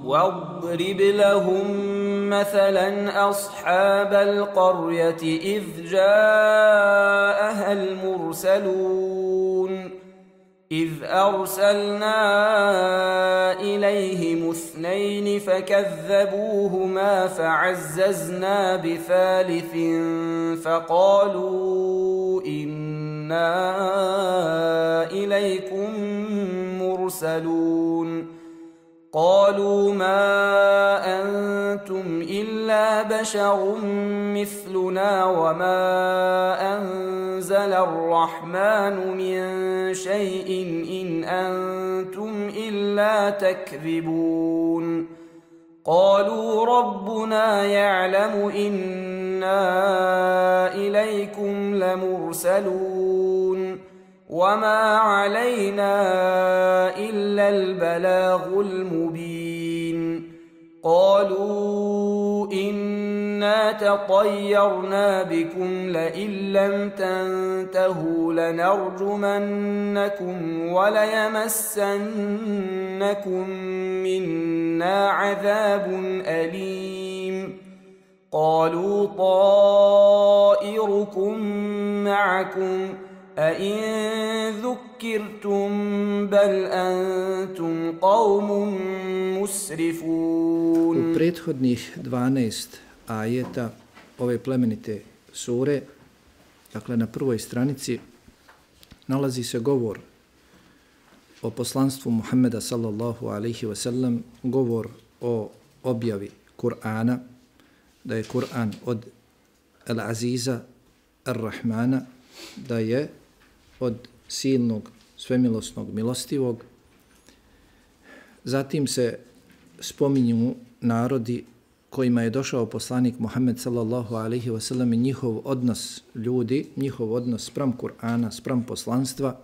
واضرب لهم مثلا أصحاب القرية إذ جاءها المرسلون إذ أرسلنا إليهم 2 فكذبوهما فعززنا بثالث فقالوا إنا إليكم مرسلون قالوا ما أنتم إلا بشر مثلنا وما أنزل الرحمن من شيء إن أنتم إلا تكذبون قالوا ربنا يعلم إنا إليكم لمرسلون وما علينا إلا البلاغ المبين قالوا إنا تطيرنا بكم لئن لم تنتهوا لنرجمنكم وليمسنكم منا عذاب أليم قالوا طائركم معكم أئن ذكرتم بل أنتم قوم مسرفون. U prethodnih 12 ajeta ove plemenite sure, dakle na prvoj stranici, nalazi se govor o poslanstvu Muhammeda sallallahu alaihi wa sallam, govor o objavi Kur'ana, da je Kur'an od Al-Aziza Ar-Rahmana, da je od silnog, svemilosnog, milostivog. Zatim se spominju narodi kojima je došao poslanik Muhammed sallallahu alaihi wa sallam i njihov odnos ljudi, njihov odnos spram Kur'ana, spram poslanstva.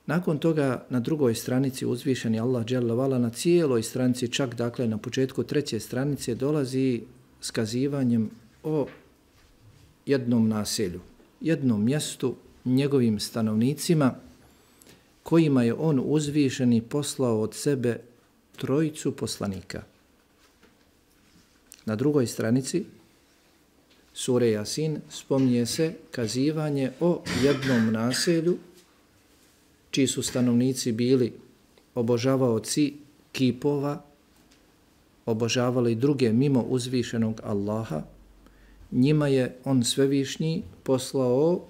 Nakon toga na drugoj stranici uzvišeni Allah dželle vala, na cijeloj stranici, čak dakle na početku 3. stranice, dolazi s kazivanjem o jednom naselju, jednom mjestu, njegovim stanovnicima, kojima je on uzvišeni poslao od sebe 3 poslanika. Na drugoj stranici sure Jasin spominje se kazivanje o jednom naselju čiji su stanovnici bili obožavaoci kipova, obožavali druge mimo uzvišenog Allaha. Njima je on svevišnji poslao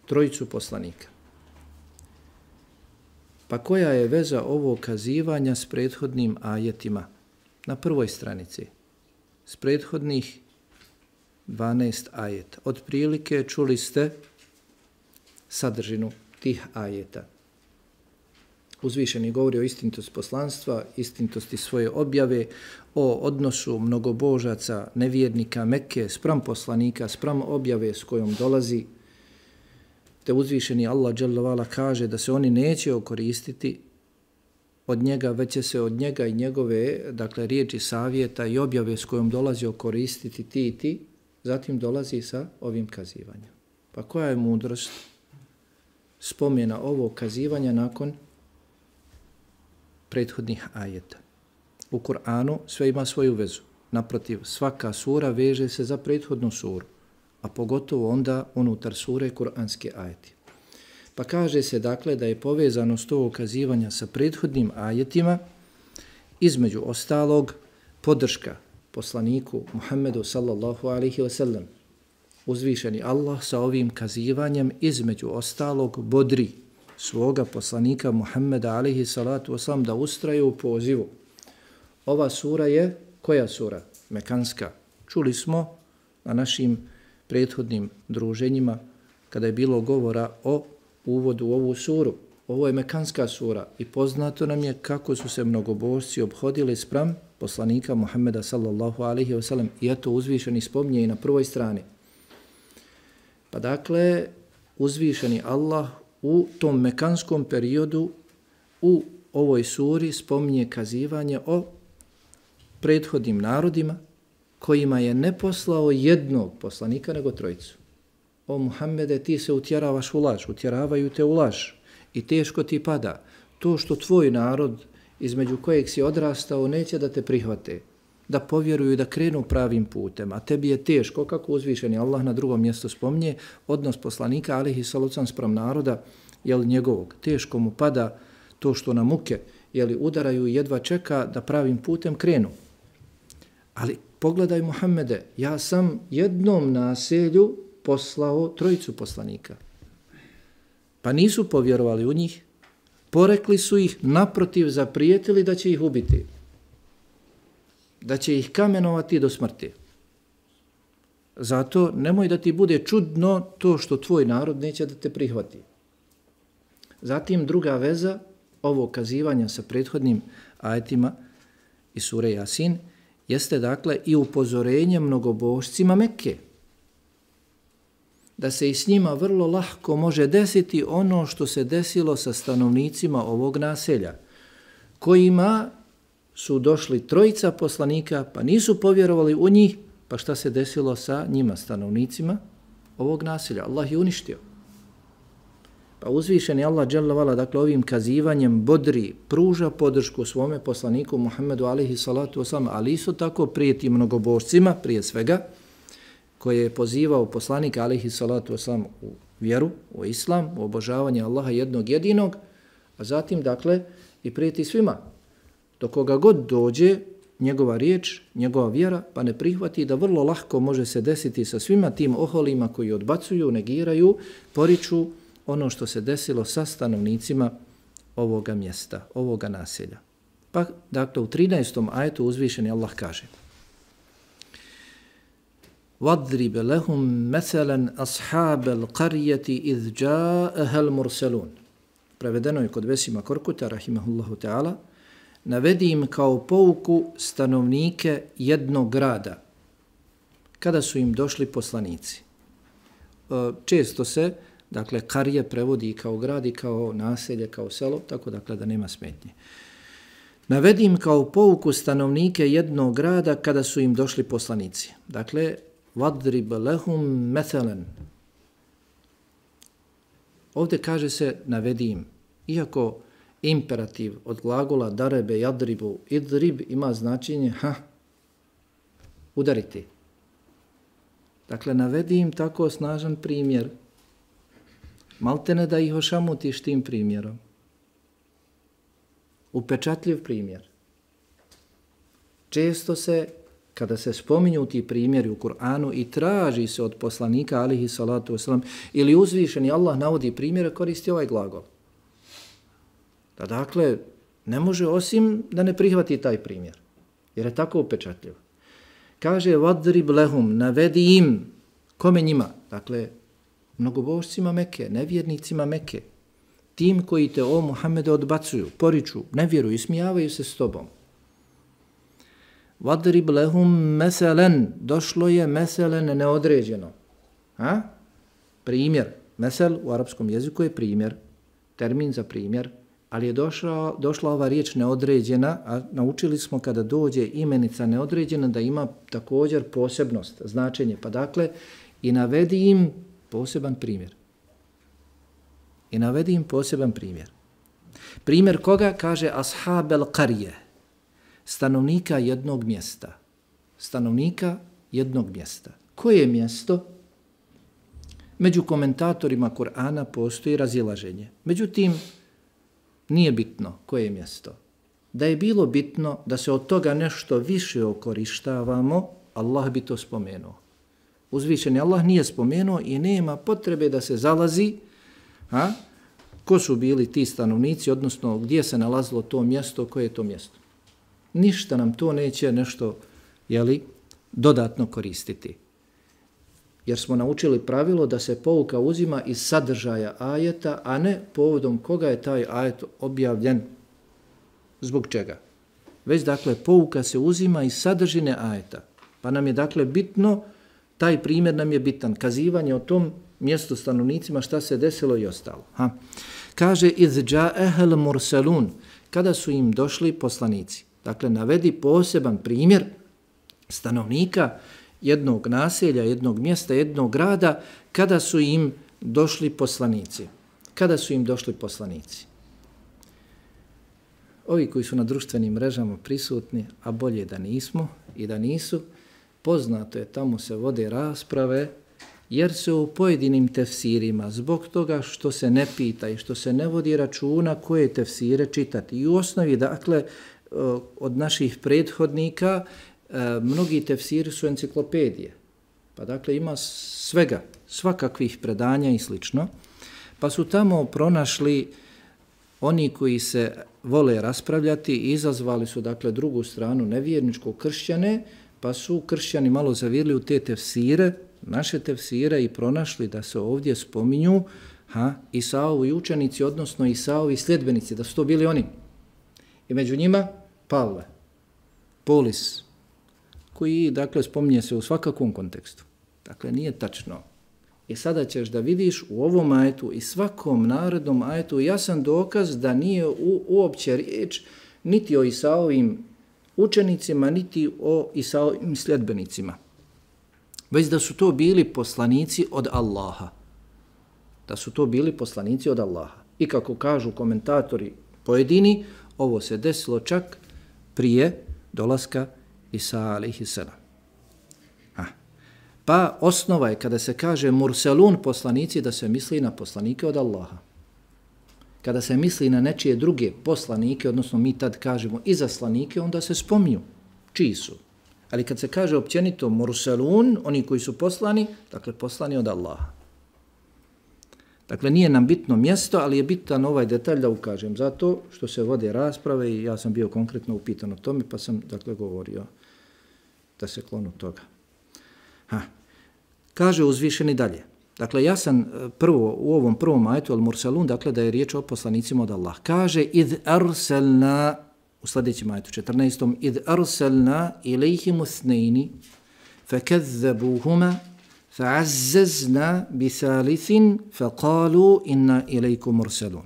3 poslanika. Pa koja je veza ovog kazivanja s prethodnim ajetima? Na prvoj stranici, s prethodnih 12 ajeta. Otprilike čuli ste sadržinu tih ajeta. Uzvišeni govori o istinitosti poslanstva, istinitosti svoje objave, o odnosu mnogobožaca, nevjernika Mekke spram poslanika, spram objave s kojom dolazi. Te uzvišeni Allah dželle vala kaže da se oni neće okoristiti od njega, već će se od njega i njegove, dakle, riječi savjeta i objave s kojom dolazi okoristiti ti i ti. Zatim dolazi sa ovim kazivanjem. Pa koja je mudrost spomena ovog kazivanja nakon prethodnih ajeta? U Kur'anu sve ima svoju vezu. Naprotiv, svaka sura veže se za prethodnu suru, a pogotovo onda unutar sure kur'anske ajeti. Pa kaže se dakle da je povezanost ovog kazivanja sa prethodnim ajetima između ostalog podrška poslaniku Muhammedu sallallahu alaihi wa sallam. Uzvišeni Allah sa ovim kazivanjem između ostalog bodri svoga poslanika Muhammeda alaihi salatu wasalam da ustraje u pozivu. Ova sura je, koja sura? Mekanska. Čuli smo na našim prethodnim druženjima kada je bilo govora o uvodu u ovu suru. Ovo je mekanska sura i poznato nam je kako su se mnogobožci obhodili spram poslanika Muhammeda sallallahu alaihi wa sallam, i eto uzvišeni spominje i na prvoj strani. Pa dakle, uzvišeni Allah u tom mekanskom periodu u ovoj suri spominje kazivanje o prethodnim narodima kojima je ne poslao jednog poslanika nego 3. O Muhammede, ti se utjeravaš u laž, utjeravaju te u laž i teško ti pada. To što tvoj narod između kojeg si odrastao, neće da te prihvate, da povjeruju, da krenu pravim putem, a tebi je teško, kako uzvišeni Allah na drugom mjestu spominje, odnos poslanika alejhi salatu vesselam spram naroda, jel njegovog, teško mu pada to što na muke, jel udaraju i jedva čeka da pravim putem krenu. Ali pogledaj Muhammede, ja sam jednom naselju poslao 3 poslanika. Pa nisu povjerovali u njih, porekli su ih, naprotiv zaprijetili da će ih ubiti, da će ih kamenovati do smrti. Zato nemoj da ti bude čudno to što tvoj narod neće da te prihvati. Zatim druga veza ovog kazivanja sa prethodnim ajetima iz sure Jasin jeste dakle i upozorenje mnogobožcima Mekke, da se i s njima vrlo lahko može desiti ono što se desilo sa stanovnicima ovog naselja, kojima su došli 3 poslanika, pa nisu povjerovali u njih, pa šta se desilo sa njima, stanovnicima ovog naselja? Allah je uništio. Pa uzvišeni Allah dželle vala, dakle ovim kazivanjem bodri, pruža podršku svome poslaniku Muhammedu alejhi salatu vesselam, ali isto tako prijeti mnogobožcima, prije svega, koje je pozivao poslanik alejhi salatu vesselam u vjeru, u islam, u obožavanje Allaha jednog jedinog, a zatim dakle i prijeti svima. Do koga god dođe njegova riječ, njegova vjera, pa ne prihvati, da vrlo lahko može se desiti sa svima tim oholima koji odbacuju, negiraju, poriču ono što se desilo sa stanovnicima ovoga mjesta, ovoga naselja. Pa, dakle, u 13. ajetu uzvišeni Allah kaže: وَضْرِبَ لَهُمْ مَثَلًا أَصْحَابَ الْقَرْيَةِ إِذْ جَاءَهَا الْمُرْسَلُونَ. Prevedeno je kod Vesima Korkuta, rahimahullahu ta'ala, navedi im kao pouku stanovnike jednog grada, kada su im došli poslanici. Često se, dakle, karije prevodi kao grad i kao naselje, kao selo, tako dakle da nema smetnje. Navedi im kao pouku stanovnike jednog grada kada su im došli poslanici. Dakle, وَضْرِبَ لَهُمْ مَثَلًا. Ovdje kaže se navedi im, iako imperativ od glagola darebe, jadribu, idrib ima značenje udariti. Dakle, navedi im tako snažan primjer, maltene da ih ošamutiš tim primjerom. Upečatljiv primjer. Često se, kada se spominju ti primjeri u Kur'anu i traži se od poslanika alejhi salatu vesselam ili uzvišeni Allah navodi primjere, koristi ovaj glagol. Da dakle, ne može osim da ne prihvati taj primjer, jer je tako upečatljiv. Kaže, vadrib lehum, navedi im, kome njima? Dakle, mnogobožcima Mekke, nevjernicima Mekke, tim koji te, o Muhammede, odbacuju, poriču, ne vjeruju, ismijavaju se s tobom. Vadrib lehum meselen, došlo je meselen neodređeno. Primjer, mesel u arapskom jeziku je primjer, termin za primjer, ali je došla ova riječ neodređena, a naučili smo kada dođe imenica neodređena da ima također posebnost, značenje. Pa dakle, i navedi im poseban primjer. I navedi im poseban primjer. Primjer koga? Kaže ashabel qarije, stanovnika jednog mjesta. Stanovnika jednog mjesta. Koje mjesto? Među komentatorima Kur'ana postoji razilaženje. Međutim, nije bitno koje je mjesto. Da je bilo bitno da se od toga nešto više okorištavamo, Allah bi to spomenuo. Uzvišeni Allah nije spomenuo i nema potrebe da se zalazi ko su bili ti stanovnici, odnosno gdje se nalazilo to mjesto, koje je to mjesto. Ništa nam to neće nešto dodatno koristiti. Jer smo naučili pravilo da se pouka uzima iz sadržaja ajeta, a ne povodom koga je taj ajet objavljen. Zbog čega? Već dakle pouka se uzima iz sadržine ajeta. Pa nam je dakle bitno, taj primjer nam je bitan, kazivanje o tom mjestu stanovnicima šta se desilo i ostalo. Kaže iz dža'ehel mursalun, kada su im došli poslanici. Dakle, navedi poseban primjer stanovnika jednog naselja, jednog mjesta, jednog grada, kada su im došli poslanici. Kada su im došli poslanici? Ovi koji su na društvenim mrežama prisutni, a bolje da nismo i da nisu, poznato je, tamo se vode rasprave, jer se u pojedinim tefsirima, zbog toga što se ne pita i što se ne vodi računa koje tefsire čitati. I u osnovi, dakle, od naših prethodnika, mnogi tefsiri su enciklopedije. Pa dakle, ima svega, svakakvih predanja i slično. Pa su tamo pronašli oni koji se vole raspravljati i izazvali su, dakle, drugu stranu, nevjerničko kršćane, pa su kršćani malo zavirili u te tefsire, naše tefsire, i pronašli da se ovdje spominju Isaovi učenici, odnosno Isaovi sljedbenici, da su to bili oni. I među njima Pavle, Polis, koji, dakle, spominje se u svakakvom kontekstu. Dakle, nije tačno. I sada ćeš da vidiš u ovom ajetu i svakom narednom ajetu jasan dokaz da nije uopće riječ niti o Isaovim učenicima, niti o Isaovim sljedbenicima. Već da su to bili poslanici od Allaha. Da su to bili poslanici od Allaha. I kako kažu komentatori pojedini, ovo se desilo čak prije dolaska Isa alejhiselam. Pa osnova je kada se kaže murselun poslanici, da se misli na poslanike od Allaha. Kada se misli na nečije druge poslanike, odnosno mi tad kažemo izaslanike, onda se spominju čiji su. Ali kad se kaže općenito murselun, oni koji su poslani, dakle poslani od Allaha. Dakle, nije nam bitno mjesto, ali je bitan ovaj detalj da ukažem. Zato što se vode rasprave i ja sam bio konkretno upitan o tome, pa sam, dakle, govorio da se klonu toga. Kaže uzvišeni dalje. Dakle, ja sam prvo u ovom prvom ajetu al-Mursalun, dakle, da je riječ o poslanicima od Allah. Kaže, idh arsalna, u sljedećem ajetu 14. idh arsalna ilaihimu thnejni, fakazzabuhuma, fa'azzazna bisalithin, faqalu inna ilaikum mursalun.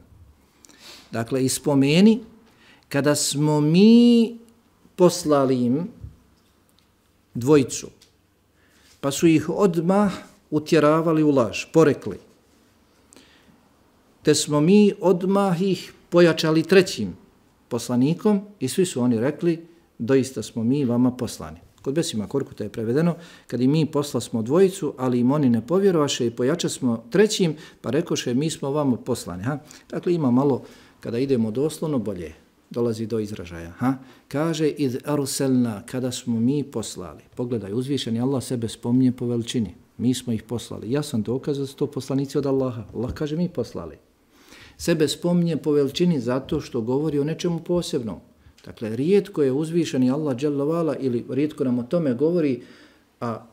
Dakle, ispomeni, kada smo mi poslali im dvojicu, pa su ih odmah utjeravali u laž, porekli. Te smo mi odmah ih pojačali trećim poslanikom i svi su oni rekli, doista smo mi vama poslani. Kod Besima Korkuta je prevedeno, kad i mi posla smo dvojicu, ali im oni ne povjerovaše i pojača smo trećim, pa rekoše mi smo vama poslani. Dakle, ima malo, kada idemo doslovno, bolje dolazi do izražaja. Kaže, idh arselna, kada smo mi poslali. Pogledaj, uzvišeni Allah sebe spominje po veličini. Mi smo ih poslali. Ja sam dokaz da su to poslanici od Allaha. Allah kaže, mi poslali. Sebe spominje po veličini zato što govori o nečemu posebnom. Dakle, rijetko je uzvišeni Allah dželle vala, ili rijetko nam o tome govori, a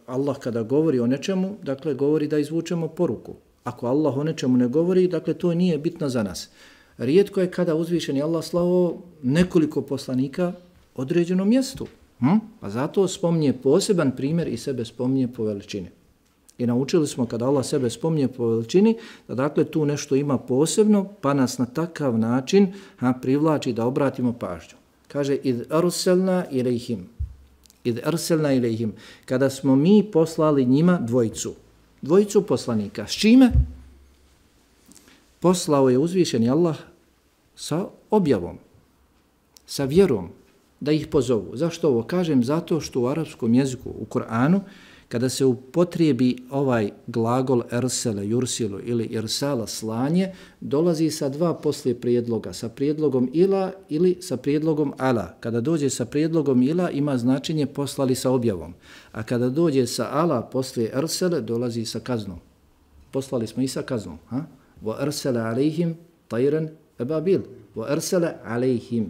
Allah kada govori o nečemu, dakle, govori da izvučemo poruku. Ako Allah o nečemu ne govori, dakle, to nije bitno za nas. Rijetko je kada uzvišeni Allah slao nekoliko poslanika određenom mjestu. Pa zato spominje poseban primjer i sebe spominje po veličini. I naučili smo kada Allah sebe spominje po veličini, da dakle tu nešto ima posebno, pa nas na takav način privlači da obratimo pažnju. Kaže, idh arsalna ilejhim. Idh arsalna ilejhim. Kada smo mi poslali njima dvojicu poslanika. S čime? Poslao je uzvišeni Allah sa objavom, sa vjerom, da ih pozovu. Zašto ovo kažem? Zato što u arapskom jeziku, u Kur'anu, kada se upotrijebi ovaj glagol ersele, jursilu ili irsala, slanje, dolazi sa dva poslije prijedloga, sa prijedlogom ila ili sa prijedlogom ala. Kada dođe sa prijedlogom ila, ima značenje poslali sa objavom. A kada dođe sa ala poslije ersele, dolazi sa kaznom. Poslali smo i sa kaznom. وَأَرْسَلَ عَلَيْهِمْ طَيْرًا أَبَابِيلَ وَأَرْسَلَ عَلَيْهِمْ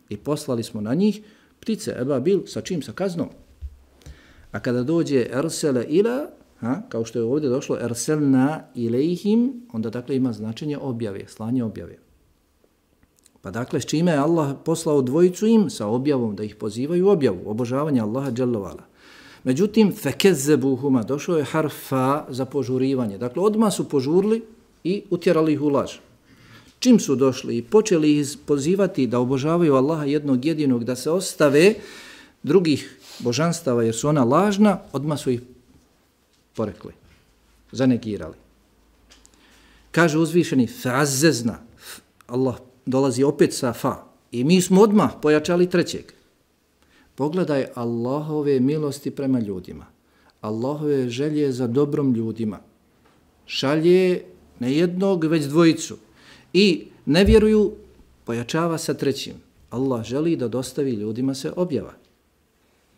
I poslali smo na njih ptice, ebabil, sa čim? Sa kaznom. A kada dođe ersele ila, kao što je ovdje došlo erselna ilejhim, onda dakle ima značenje objave, slanje objave. Pa dakle, s čime je Allah poslao dvojicu im? Sa objavom, da ih pozivaju u objavu, obožavanje Allaha dželle vala. Međutim, fekezzebuhuma, došao je harfa za požurivanje. Dakle, odmah su požurili i utjerali ih u laž. Čim su došli i počeli ih pozivati da obožavaju Allaha jednog jedinog, da se ostave drugih božanstava jer su ona lažna, odmah su ih porekli, zanegirali. Kaže uzvišeni, fa'azzezna, Allah dolazi opet sa fa. I mi smo odmah pojačali trećeg. Pogledaj Allahove milosti prema ljudima. Allahove želje za dobrom ljudima. Šalje ne jednog, već dvojicu. I ne vjeruju, pojačava sa trećim. Allah želi da dostavi ljudima se objava.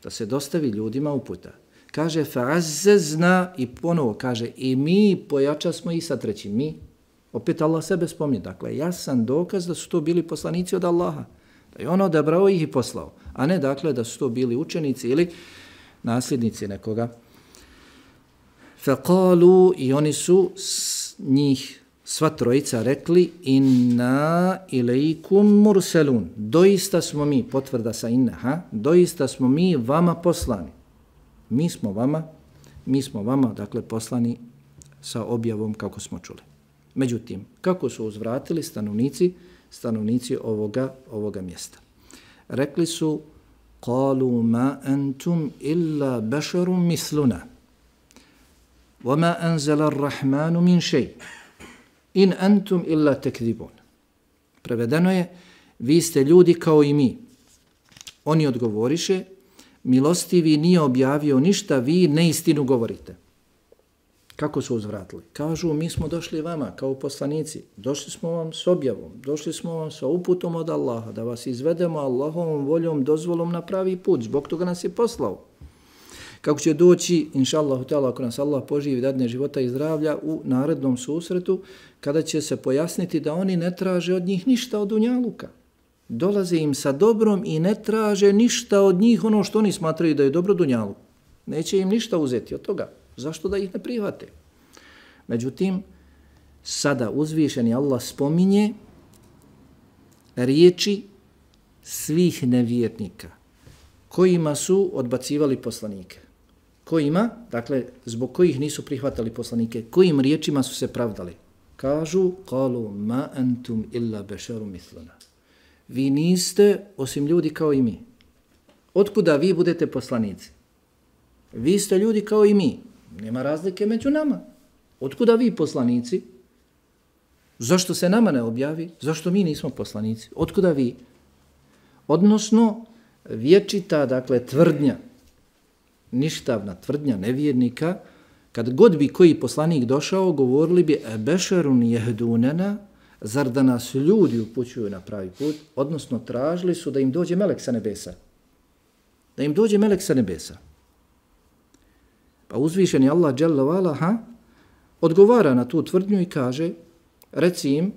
Da se dostavi ljudima uputa. Kaže fa'azzazna i ponovo kaže i mi pojača smo i sa trećim. Mi, opet Allah sebe spominje. Dakle, jasan dokaz da su to bili poslanici od Allaha. Da je on odabrao ih i poslao. A ne dakle da su to bili učenici ili nasljednici nekoga. Faqalu i oni su njih sva trojica rekli inna ilaikum mursalun. Doista smo mi, potvrda sa inna, doista smo mi vama poslani. Mi smo vama, dakle, poslani sa objavom kako smo čuli. Međutim, kako su uzvratili stanovnici ovoga mjesta? Rekli su, qalu ma antum illa basharun misluna, wama anzala ar-rahmanu min shay, in antum illa takdhibun. Prevedeno je, vi ste ljudi kao i mi. Oni odgovoriše, milostivi nije objavio ništa, vi neistinu govorite. Kako su uzvratili? Kažu, mi smo došli vama kao poslanici, došli smo vam s objavom, došli smo vam sa uputom od Allaha, da vas izvedemo Allahovom voljom, dozvolom na pravi put, zbog toga nas je poslao. Kako će doći, inša Allahu ta'ala, ako nas Allah poživi dadne života i zdravlja u narednom susretu, kada će se pojasniti da oni ne traže od njih ništa od dunjaluka. Dolaze im sa dobrom i ne traže ništa od njih ono što oni smatraju da je dobro dunjalu. Neće im ništa uzeti od toga. Zašto da ih ne prihvate? Međutim, sada uzvišeni Allah spominje riječi svih nevjernika kojima su odbacivali poslanike. Kojima, dakle, zbog kojih nisu prihvatali poslanike, kojim riječima su se pravdali. Kažu, qalu ma antum illa basharun mithluna. Vi niste osim ljudi kao i mi. Otkuda vi budete poslanici? Vi ste ljudi kao i mi. Nema razlike među nama. Otkuda vi poslanici? Zašto se nama ne objavi? Zašto mi nismo poslanici? Otkuda vi? Odnosno, vječita, dakle, tvrdnja, ništavna tvrdnja nevjernika, kad god bi koji poslanik došao, govorili bi ebešerun jehdunena, zar da nas ljudi upućuju na pravi put, odnosno tražili su da im dođe melek sa nebesa. Da im dođe melek sa nebesa. Pa uzvišeni Allah dželle ve ala odgovara na tu tvrdnju i kaže, reci im,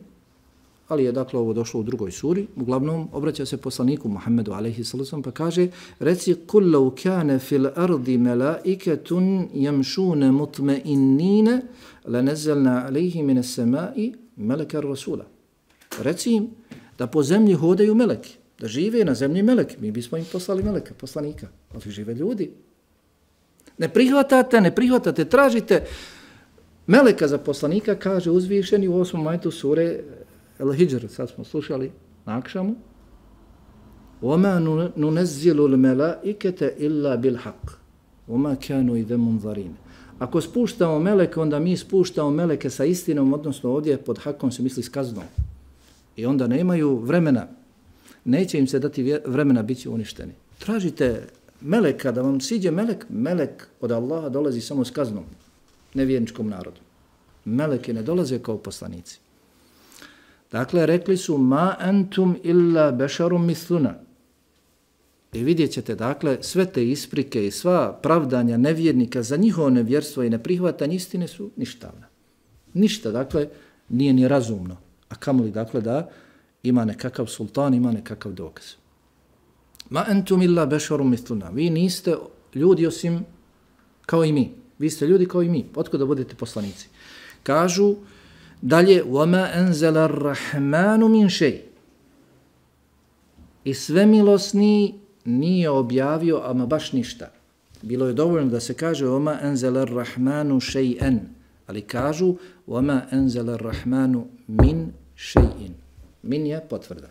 ali je dakle ovo došlo u drugoj suri, uglavnom obraća se poslaniku Muhammedu alejhi sallam pa kaže, reci kul law kana fil ardi malaikatun yamshuna mutma'innina lanazalna alayhi min as-sama'i meleka rasula. Reci im da po zemlji hodaju meleki, da žive na zemlji meleki, mi bismo im poslali meleka, poslanika, ali žive ljudi. Ne prihvatate, tražite meleka za poslanika, kaže uzvišeni u 8. ajetu sure Al-Hijr, sad smo slušali na akšamu. وَمَا نُنَزِّلُ الْمَلَائِكَةَ إِلَّا بِالْحَقِّ وَمَا كَانُوا إِذَا مُنْظَرِينَ. Ako spuštamo meleke, onda mi spuštamo meleke sa istinom, odnosno ovdje pod hakom se misli s kaznom. I onda nemaju vremena, neće im se dati vremena, bit će uništeni. Tražite meleka, da vam siđe melek od Allaha dolazi samo s kaznom, nevjerničkom narodu. Meleki ne dolaze kao poslanici. Dakle, rekli su ma antum illa basharun mithluna. I vidjet ćete, dakle, sve te isprike i sva pravdanja nevjernika za njihovo nevjerstvo i neprihvatanje istine su ništavna. Ništa, dakle, nije ni razumno. A kamoli, dakle, da ima nekakav sultan, ima nekakav dokaz. Ma antum illa basharun mithluna. Vi niste ljudi osim kao i mi. Vi ste ljudi kao i mi. Otkud da budete poslanici? Kažu dalje, وَمَا أَنْزَلَ الرَّحْمَانُ مِنْ شَيْءٍ. I svemilosni nije objavio ama baš ništa. Bilo je dovoljno da se kaže وَمَا أَنْزَلَ الرَّحْمَانُ شَيْئًا. Ali kažu وَمَا أَنْزَلَ الرَّحْمَانُ مِنْ شَيْئٍ. Min je potvrda.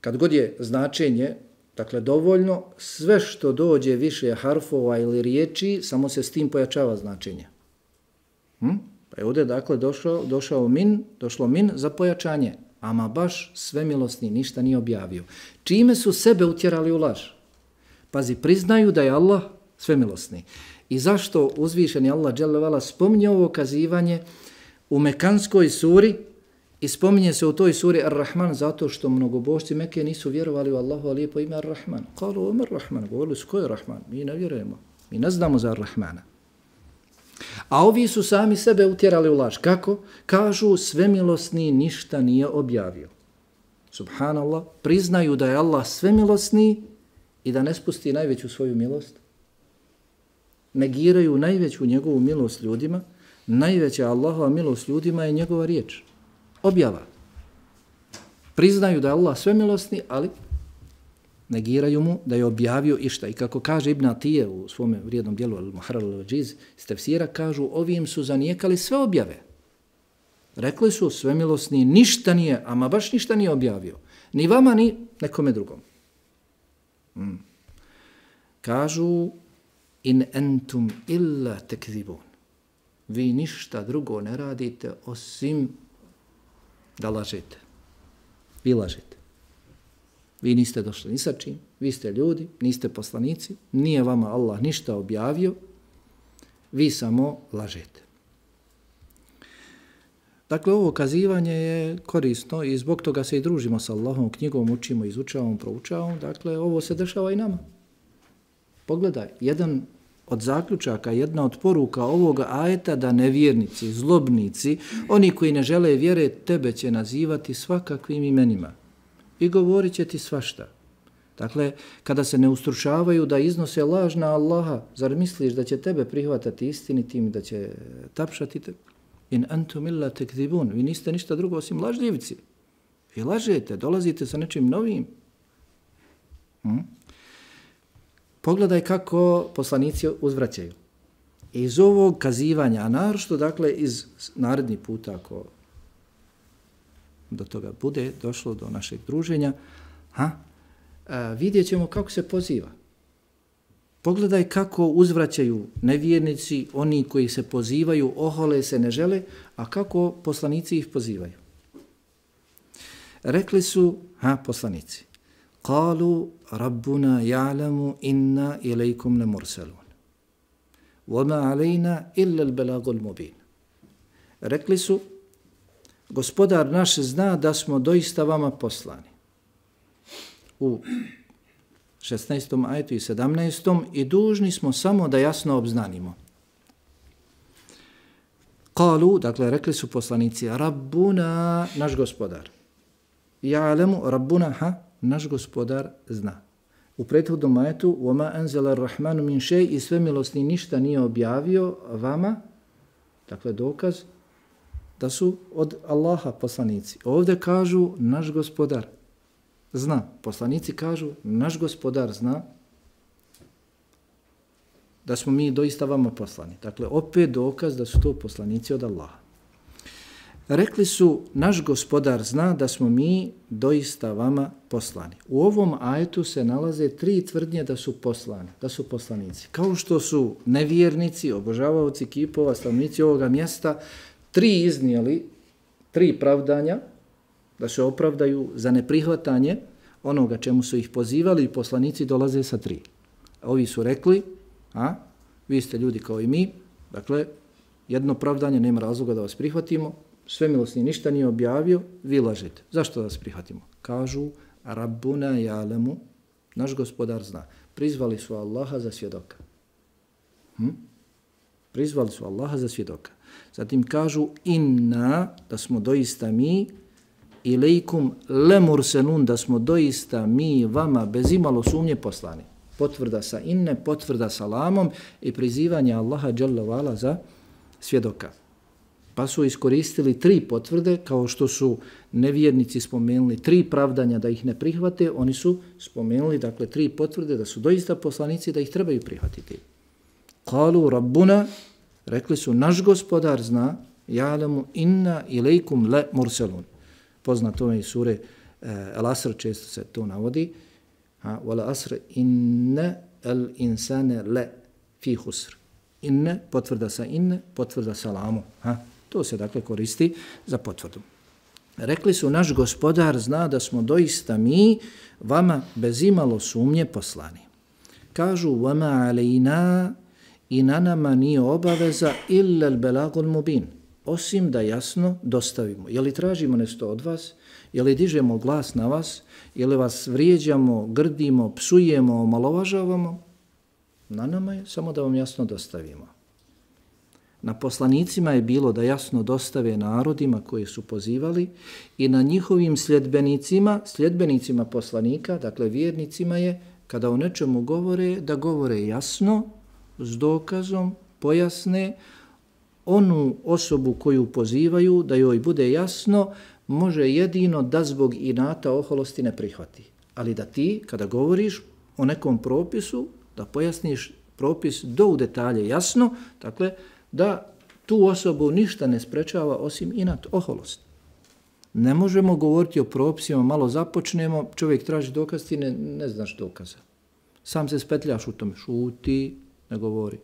Kad god je značenje, dakle dovoljno, sve što dođe više harfova ili riječi, samo se s tim pojačava značenje. Pa je ovdje dakle došlo min za pojačanje. Ama baš svemilosni ništa nije objavio. Čime su sebe utjerali u laž? Pazi, priznaju da je Allah svemilosni. I zašto uzvišeni Allah dželle vala spominje ovo kazivanje u mekanskoj suri i spominje se u toj suri Ar-Rahman zato što mnogobožci Mekke nisu vjerovali u Allahu lijepo ime Ar-Rahman. Kalu o Ar-Rahman, govorili su ko je Rahman? Mi ne vjerujemo, mi ne znamo za Ar-Rahmana. A ovi su sami sebe utjerali u laž. Kako? Kažu svemilosni ništa nije objavio. Subhanallah, priznaju da je Allah svemilosni i da ne spusti najveću svoju milost. Negiraju najveću njegovu milost ljudima. Najveća Allahova milost ljudima je njegova riječ. Objava. Priznaju da je Allah svemilosni, ali negiraju mu da je objavio išta. I kako kaže Ibn Atije u svom vrijednom dijelu Al-Muharrar al-Wajiz iz tefsira, kažu ovim su zanijekali sve objave. Rekli su svemilosni ništa nije, ama baš ništa nije objavio. Ni vama, ni nekome drugom. Kažu in entum illa tekzibun. Vi ništa drugo ne radite osim da lažete. Vi lažete. Vi niste došli ni sa čim, vi ste ljudi, niste poslanici, nije vama Allah ništa objavio, vi samo lažete. Dakle, ovo kazivanje je korisno i zbog toga se i družimo sa Allahom, knjigom učimo, izučavamo, proučavamo. Dakle, ovo se dešava i nama. Pogledaj, jedan od zaključaka, jedna od poruka ovoga ajeta da nevjernici, zlobnici, oni koji ne žele vjere, tebe će nazivati svakakvim imenima i govorit će ti svašta. Dakle, kada se ne ustručavaju da iznose laž na Allaha, zar misliš da će tebe prihvatati istinitim, da će tapšati te? In antum illa tekzibun. Vi niste ništa drugo osim lažljivci. Vi lažete, dolazite sa nečim novim. Pogledaj kako poslanici uzvraćaju. Iz ovog kazivanja, a naročito, dakle, iz naredni puta, ako do toga bude došlo do našeg druženja, vidjet ćemo kako se poziva. Pogledaj kako uzvraćaju nevjernici, oni koji se pozivaju, ohole se, ne žele, a kako poslanici ih pozivaju. Rekli su, poslanici, قالوا ربنا يعلم إنا إليكم لمرسلون وما علينا إلا البلاغ المبين. Rekli su, gospodar naš zna da smo doista vama poslani. U 16. ajetu i 17. i dužni smo samo da jasno obznanimo. Kalu, dakle, rekli su poslanici, Rabbuna, naš gospodar. Ja'lemu, Rabbuna, naš gospodar zna. U prethodnom ajetu, وَمَا أَنْزَلَ الرَّحْمَنُ مِنْ شَيْءٍ i svemilosni ništa nije objavio vama, dakle, dokaz da su od Allaha poslanici. Ovdje kažu, naš gospodar zna. Poslanici kažu, naš gospodar zna da smo mi doista vama poslani. Dakle, opet dokaz da su to poslanici od Allaha. Rekli su, naš gospodar zna da smo mi doista vama poslani. U ovom ajetu se nalaze 3 tvrdnje da su poslani, da su poslanici. Kao što su nevjernici, obožavaoci kipova, stanovnici ovoga mjesta, 3 iznijeli, 3 pravdanja, da se opravdaju za neprihvatanje onoga čemu su ih pozivali i poslanici dolaze sa 3. Ovi su rekli, vi ste ljudi kao i mi, dakle, jedno pravdanje, nema razloga da vas prihvatimo, svemilosni ništa nije objavio, vi lažete. Zašto da vas prihvatimo? Kažu, Rabbuna ja'lemu, naš gospodar zna. Prizvali su Allaha za svjedoka. Prizvali su Allaha za svjedoka. Zatim kažu, inna, da smo doista mi, ilaikum lemurselun, da smo doista mi vama bez imalo sumnje poslani. Potvrda sa inne, potvrda sa lamom i prizivanje Allaha dželle vala za svjedoka. Pa su iskoristili 3 potvrde, kao što su nevjernici spomenuli 3 pravdanja da ih ne prihvate, oni su spomenuli, dakle, 3 potvrde da su doista poslanici, da ih trebaju prihvatiti. Kalu Rabbuna, rekli su, naš gospodar zna, ja'lamu inna ilaikum le murselun. Poznato je iz sure Al-Asr, često se to navodi. Wal asr inna al insane le fi husr. Inne, potvrda sa inne, potvrda sa lamu. To se dakle koristi za potvrdu. Rekli su, naš gospodar zna da smo doista mi vama bez imalo sumnje poslani. Kažu, vama alejna, i na nama nije obaveza illa al-belagul mubin, osim da jasno dostavimo. Je li tražimo nešto od vas? Je li dižemo glas na vas? Je li vas vrijeđamo, grdimo, psujemo, omalovažavamo? Na nama je samo da vam jasno dostavimo. Na poslanicima je bilo da jasno dostave narodima koji su pozivali i na njihovim sljedbenicima poslanika, dakle vjernicima je, kada o nečemu govore, da govore jasno, s dokazom, pojasne, onu osobu koju pozivaju, da joj bude jasno, može jedino da zbog inata oholosti ne prihvati. Ali da ti, kada govoriš o nekom propisu, da pojasniš propis do u detalje jasno, dakle, da tu osobu ništa ne sprečava osim inat oholost. Ne možemo govoriti o propisima, malo započnemo, čovjek traži dokaz, ti ne znaš dokaza. Sam se spetljaš u tome, šuti, ne govori.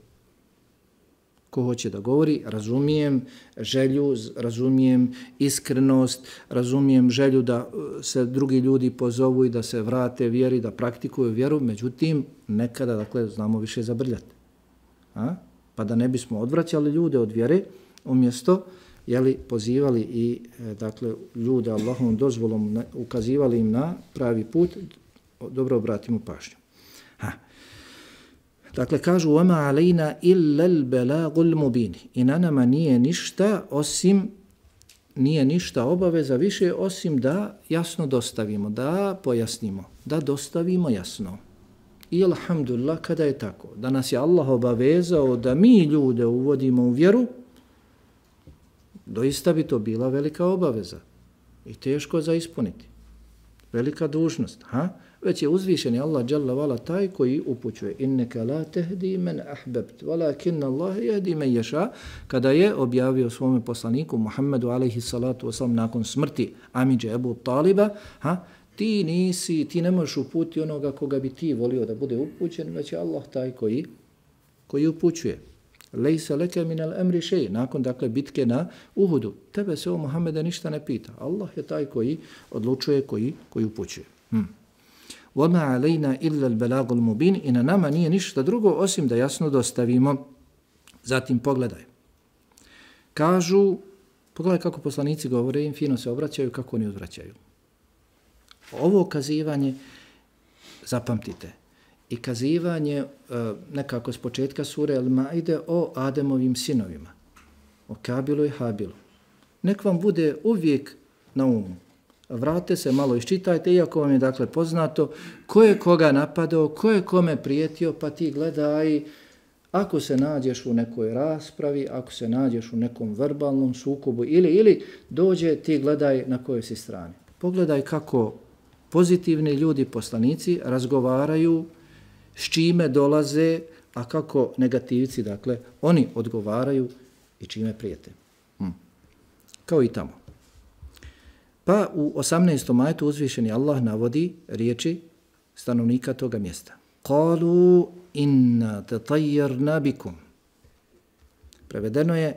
Ko hoće da govori, razumijem želju, razumijem iskrenost, razumijem želju da se drugi ljudi pozovu i da se vrate vjeri, da praktikuju vjeru, međutim, nekada, dakle, znamo više zabrljati. Pa da ne bismo odvraćali ljude od vjere, umjesto, pozivali i, dakle, ljude Allahovom dozvolom, ukazivali im na pravi put, dobro obratimo pažnju. Dakle, kažu, وَمَا عَلَيْنَا إِلَّا الْبَلَاغُ الْمُبِينِ, i na nama nije ništa obaveza više osim da jasno dostavimo, da pojasnimo, da dostavimo jasno. I alhamdulillah, kada je tako, da nas je Allah obavezao da mi ljude uvodimo u vjeru, doista bi to bila velika obaveza i teško za ispuniti. Velika dužnost, već je uzvišeni Allah dželle vala taj koji upućuje. Inneka la tehdi men ahbebt, walakin Allah yahdi men yasha, kada je objavio svome poslaniku Muhammedu alejhi salatu vesselam nakon smrti amidže Ebu Taliba, ti ne možeš uputiti onoga koga bi ti volio da bude upućen, već je Allah taj koji upućuje. Lejsa leke minel emri šej, nakon dakle bitke na Uhudu. Tebe se o Muhammede ništa ne pita. Allah je taj koji odlučuje, koji upućuje. وَمَا عَلَيْنَا إِلَّا الْبَلَاغُ الْمُبِينِ, i na nama nije ništa drugo osim da jasno dostavimo. Zatim pogledaj. Pogledaj kako poslanici govore, im fino se obraćaju, kako oni odvraćaju. Ovo kazivanje, zapamtite, i kazivanje nekako s početka sure Al-Maide o Ademovim sinovima, o Kabilu i Habilu. Nek vam bude uvijek na umu. Vrate se, malo iščitajte, iako vam je dakle poznato ko je koga napadao, ko je kome prijetio, pa ti gledaj, ako se nađeš u nekoj raspravi, ako se nađeš u nekom verbalnom sukobu ili dođe, ti gledaj na kojoj si strani. Pogledaj kako pozitivni ljudi, poslanici, razgovaraju, s čime dolaze, a kako negativci, dakle, oni odgovaraju i čime prijete. Kao i tamo. Pa u 18. ajetu uzvišeni Allah navodi riječi stanovnika toga mjesta. Qalu inna tatayyarna bikum. Prevedeno je,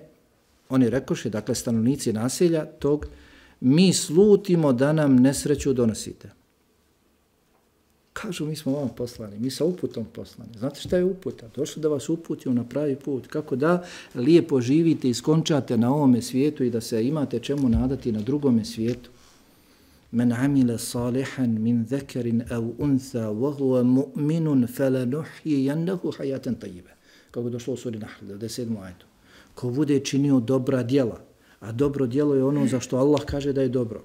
oni rekoše, dakle stanovnici naselja tog, mi slutimo da nam nesreću donosite. Kažu, mi smo vam poslani, mi sa uputom poslani. Znate šta je uputa? Došli da vas uputimo na pravi put, kako da lijepo živite i skončate na ovome svijetu i da se imate čemu nadati na drugome svijetu. Men amile salihan min zekarin au untha wa huwa mu'minun falanuhyiyannahu hayatan tayyiba. Kako došlo u suri Nahl, 97. ajetu. Ko bude činio dobra djela, a dobro djelo je ono za što Allah kaže da je dobro.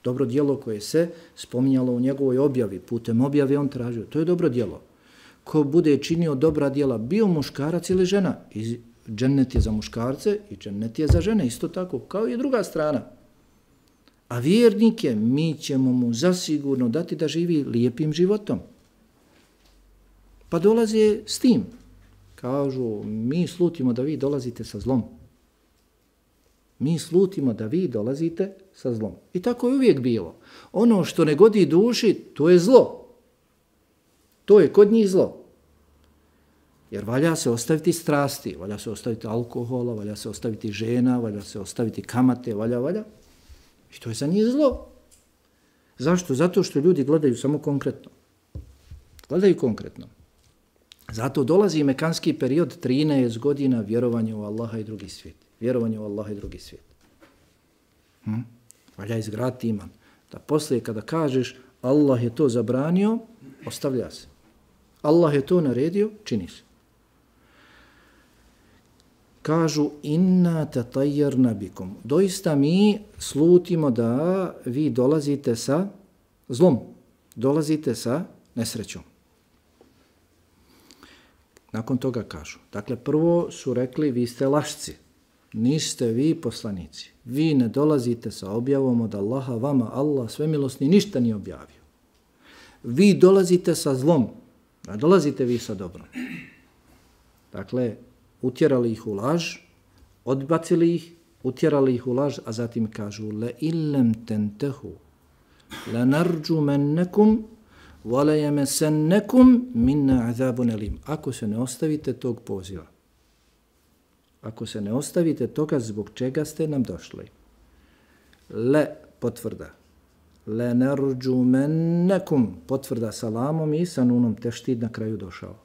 Dobro djelo koje se spominjalo u njegovoj objavi, putem objave on tražio, to je dobro djelo. Ko bude činio dobra djela, bio muškarac ili žena, i džennet je za muškarce i džennet je za žene, isto tako, kao i druga strana. A vjernike mi ćemo mu zasigurno dati da živi lijepim životom. Pa dolaze s tim. Kažu, mi slutimo da vi dolazite sa zlom. Mi slutimo da vi dolazite sa zlom. I tako je uvijek bilo. Ono što ne godi duši, to je zlo. To je kod njih zlo. Jer valja se ostaviti strasti, valja se ostaviti alkohola, valja se ostaviti žena, valja se ostaviti kamate, valja. I to je za njih zlo. Zašto? Zato što ljudi gledaju samo konkretno. Gledaju konkretno. Zato dolazi mekanski period 13 godina vjerovanja u Allaha i drugi svijet. Vjerovanje u Allaha i drugi svijet. Valja izgraditi iman. Da poslije kada kažeš Allah je to zabranio, ostavlja se. Allah je to naredio, čini se. Kažu inna tatajarna bikum. Doista mi slutimo da vi dolazite sa zlom. Dolazite sa nesrećom. Nakon toga kažu. Dakle, prvo su rekli vi ste lašci. Niste vi poslanici. Vi ne dolazite sa objavom od Allaha, vama Allah svemilosni ništa nije objavio. Vi dolazite sa zlom, a dolazite vi sa dobrom. Dakle, utjerali ih u laž, odbacili ih, utjerali ih u laž, a zatim kažu le illem tentehu, le narđumennekum, vole jemesennekum minna azabun elim. Ako se ne ostavite tog poziva, ako se ne ostavite toga zbog čega ste nam došli. Le potvrda. Le narđumennekum potvrda salamom i sa nunom teštid na kraju došao.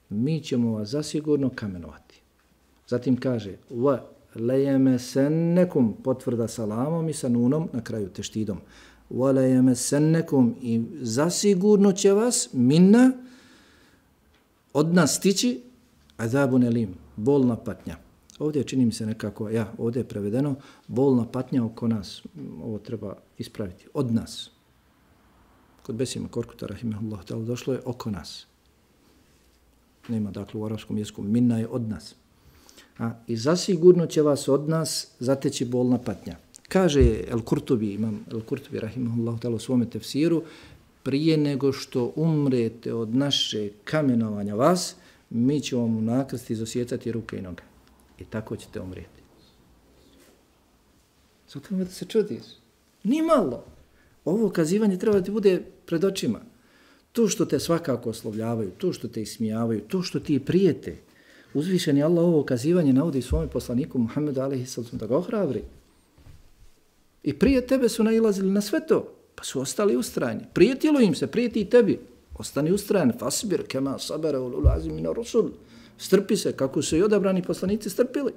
Mi ćemo vas zasigurno kamenovati. Zatim kaže wa lejemesennekum potvrda salamom i sa nunom na kraju teštidom. Wa lejemesennekum i zasigurno će vas minna od nas stići azabun elim, bolna patnja. Ovdje čini mi se nekako, ovdje je prevedeno, bolna patnja oko nas. Ovo treba ispraviti. Od nas. Kod Besima Korkuta, rahimahullah, došlo je oko nas. Nema, dakle, u arapskom jeziku, minna je od nas. I zasigurno će vas od nas zateći bolna patnja. Kaže El-Kurtubi, imam El-Kurtubi, rahimahullah, u svome tefsiru, prije nego što umrete od naše kamenovanja vas, mi ćemo vam u nakrsti izosjecati ruke i noge. I tako ćete umrijeti. Zato da se čudiš. Ni malo. Ovo kazivanje treba da ti bude pred očima. To što te svakako oslovljavaju, to što te ismijavaju, to što ti prijete. Uzvišeni Allah ovo kazivanje navodi svome poslaniku Muhammedu alejhi salatu da ga ohrabri. I prije tebe su nailazili na sve to, pa su ostali ustrajni. Prijetilo im se, prijeti i tebi. Ostani ustrajan. Fasbir kema sabara ulul azmi mina rusul. Strpi se kako su i odabrani poslanici strpili.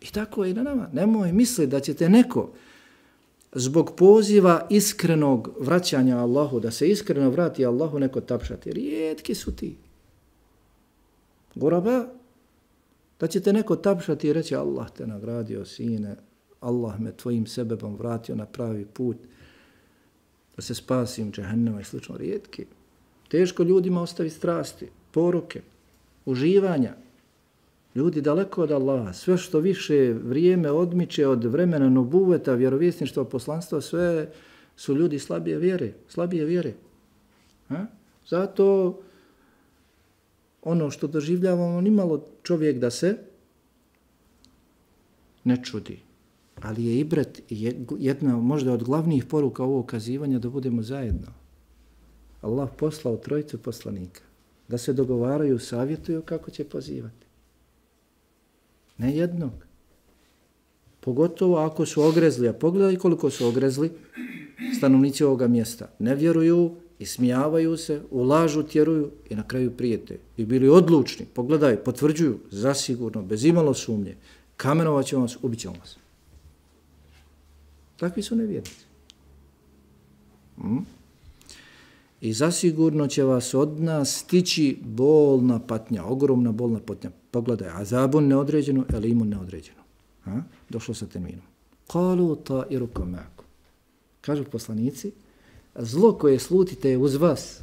I tako je i na nama. Nemoj misli da ćete neko zbog poziva iskrenog vraćanja Allahu, da se iskreno vrati Allahu, neko tapšati. Rijetki su ti. Goraba, da ćete neko tapšati i reći Allah te nagradio, sine, Allah me tvojim sebebom vratio na pravi put, da se spasim džehennema i slično. Rijetki. Teško ljudima ostavi strasti, poruke, uživanja. Ljudi daleko od Allaha, sve što više vrijeme odmiče od vremena nubuveta, vjerovjesništva, poslanstva, sve su ljudi slabije vjere. Zato ono što doživljavamo, nimalo čovjek da se ne čudi. Ali je ibret jedna možda od glavnih poruka ovog kazivanja da budemo zajedno. Allah poslao trojicu poslanika da se dogovaraju, savjetuju kako će pozivati. Ne jednog. Pogotovo ako su ogrezli, a pogledaj koliko su ogrezli stanovnici ovoga mjesta. Ne vjeruju, ismijavaju se, u lažu tjeruju i na kraju prijete. I bili odlučni, pogledaj, potvrđuju, zasigurno, bez imalo sumnje, kamenovat ćemo vas, ubit ćemo vas. Takvi su nevjernici. I zasigurno će vas od nas stići bolna patnja, ogromna bolna patnja. Pogledaj, azabun neodređeno, elimun neodređeno. Došlo sa terminom. Qalu ta'irukum ma'akum. Kažu poslanici, zlo koje slutite je uz vas.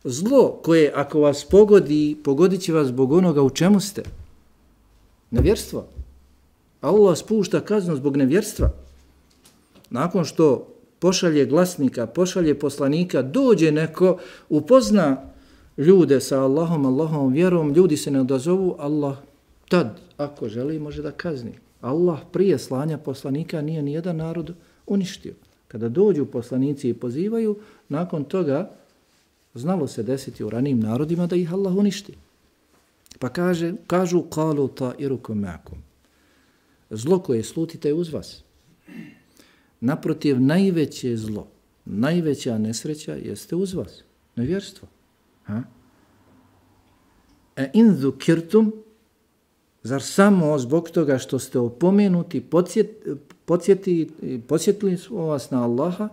Zlo koje ako vas pogodi, pogodit će vas zbog onoga u čemu ste. Nevjerstvo. Allah spušta kaznu zbog nevjerstva. Nakon što pošalje glasnika, pošalje poslanika, dođe neko, upozna ljude sa Allahom vjerom, ljudi se ne odazovu, Allah tad, ako želi, može da kazni. Allah prije slanja poslanika nije nijedan narod uništio. Kada dođu poslanici i pozivaju, nakon toga Znalo se desiti u ranijim narodima da ih Allah uništi. Pa kažu qalu ta'irukum ma'akum. Zlo koje slutite je uz vas. Naprotiv, najveće zlo, najveća nesreća jeste uz vas. Nevjerstvo. In zukirtum, zar samo zbog toga što ste opomenuti, podsjetili smo vas na Allaha,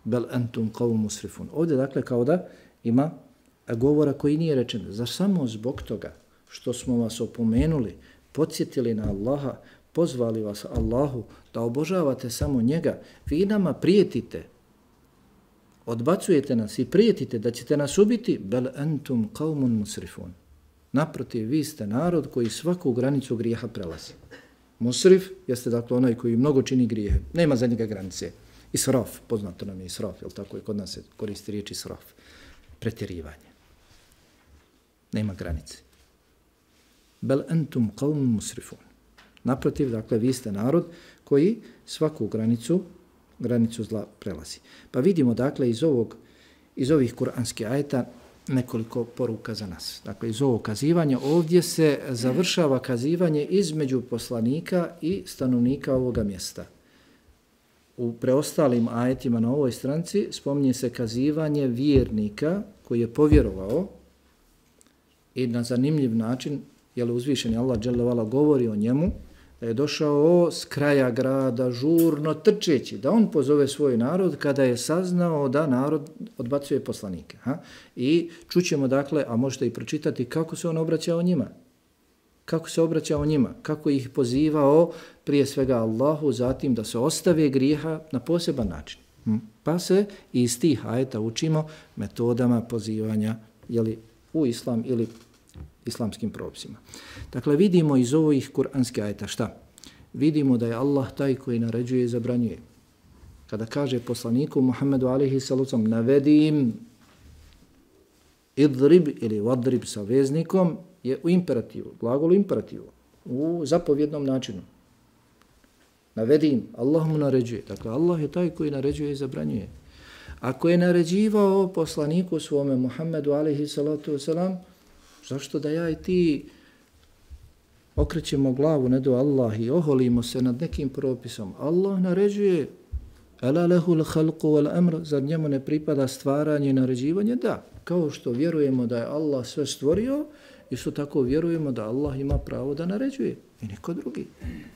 bel antum qawmun musrifun. Ovdje dakle kao da ima govora koji nije rečen. Zar samo zbog toga što smo vas opomenuli, podsjetili na Allaha, pozvali vas Allahu da obožavate samo njega, vi nama prijetite, odbacujete nas i prijetite da ćete nas ubiti, bel antum qawmun musrifun. Naprotiv, vi ste narod koji svaku granicu grijeha prelazi. Musrif jeste dakle onaj koji mnogo čini grijehe. Nema za njega granice. Israf, poznato nam je israf, jel tako, i kod nas se koristi riječ israf. Pretjerivanje. Nema granice. Bel antum qawmun musrifun. Naprotiv, dakle, vi ste narod koji svaku granicu zla prelazi. Pa vidimo, dakle, iz ovih kuranskih ajeta nekoliko poruka za nas. Dakle, iz ovog kazivanja ovdje se završava kazivanje između poslanika i stanovnika ovoga mjesta. U preostalim ajetima na ovoj stranici spominje se kazivanje vjernika koji je povjerovao i na zanimljiv način, jer uzvišeni Allah dželle vala govori o njemu, da je došao s kraja grada žurno trčeći, da on pozove svoj narod kada je saznao da narod odbacuje poslanike. I čućemo dakle, a možete i pročitati kako se on obraćao njima. Kako se obraćao njima, kako ih pozivao prije svega Allahu, zatim da se ostave grijeha na poseban način. Pa se iz tih ajeta učimo metodama pozivanja u islam ili islamskim propisima. Dakle, vidimo iz ovih kuranskih ajeta šta? Vidimo da je Allah taj koji naređuje i zabranjuje. Kada kaže poslaniku Muhammedu alejhi sallam navedi im idrib ili vadrib sa veznikom je u imperativu, glagolu imperativu, u zapovjednom načinu. Navedi im, Allah mu naređuje. Dakle, Allah je taj koji naređuje i zabranjuje. Ako je naređivao poslaniku svome Muhammedu alejhi salatu wasalam, zašto da ja i ti okrećemo glavu ne do Allah i oholimo se nad nekim propisom? Allah naređuje, ala lehul khalqu wal amr, zar njemu ne pripada stvaranje i naređivanje? Da, kao što vjerujemo da je Allah sve stvorio, isto tako vjerujemo da Allah ima pravo da naređuje i niko drugi.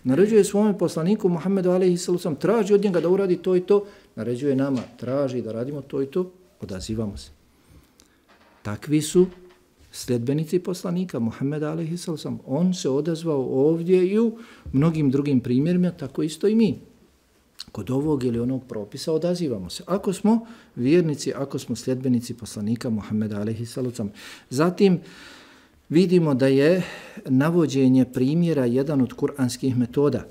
Naređuje svome poslaniku Muhammedu alejhi sallam, traži od njega da uradi to i to, naređuje nama, traži da radimo to i to, odazivamo se. Takvi su sljedbenici poslanika Muhammeda alejhi sallam. On se odazvao ovdje i u mnogim drugim primjerima, tako isto i mi. Kod ovog ili onog propisa odazivamo se. Ako smo vjernici, ako smo sljedbenici poslanika Muhammeda alejhi sallam. Zatim vidimo da je navođenje primjera jedan od kuranskih metoda.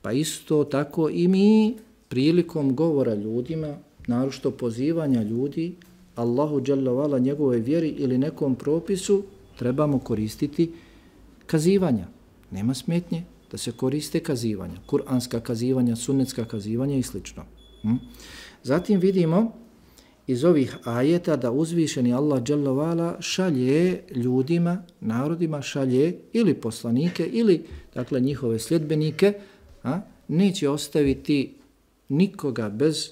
Pa isto tako i mi prilikom govora ljudima, naročito pozivanja ljudi Allahu dželle vala njegove vjeri ili nekom propisu, trebamo koristiti kazivanja. Nema smetnje da se koriste kazivanja, kuranska kazivanja, sunnetska kazivanja i sl. Zatim vidimo iz ovih ajeta da uzvišeni Allah dželle vala šalje ljudima, narodima, šalje ili poslanike ili dakle njihove sljedbenike, neće ostaviti nikoga bez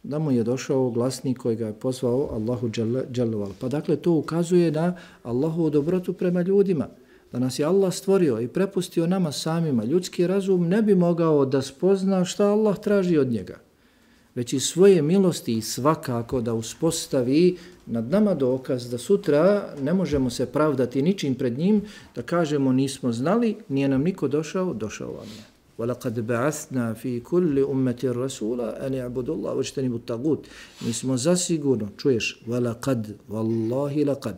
da mu je došao glasnik koji ga je pozvao Allahu dželle vala. Pa dakle to ukazuje na Allahovu dobrotu prema ljudima, da nas je Allah stvorio i prepustio nama samima. Ljudski razum ne bi mogao da spozna šta Allah traži od njega, već i svoje milosti i svakako da uspostavi nad nama dokaz da sutra ne možemo se pravdati ničim pred njim, da kažemo nismo znali, nije nam niko došao, došao vam je. وَلَقَدْ بَعَثْنَا فِي كُلِّ أُمَّةٍ رَسُولًا أَنِ يَعْبُدُوا اللَّهَ وَاجْتَنِبُوا الطَّاغُوتَ. Mi smo zasigurno, čuješ, وَلَقَدْ وَاللَّهِ لَقَدْ.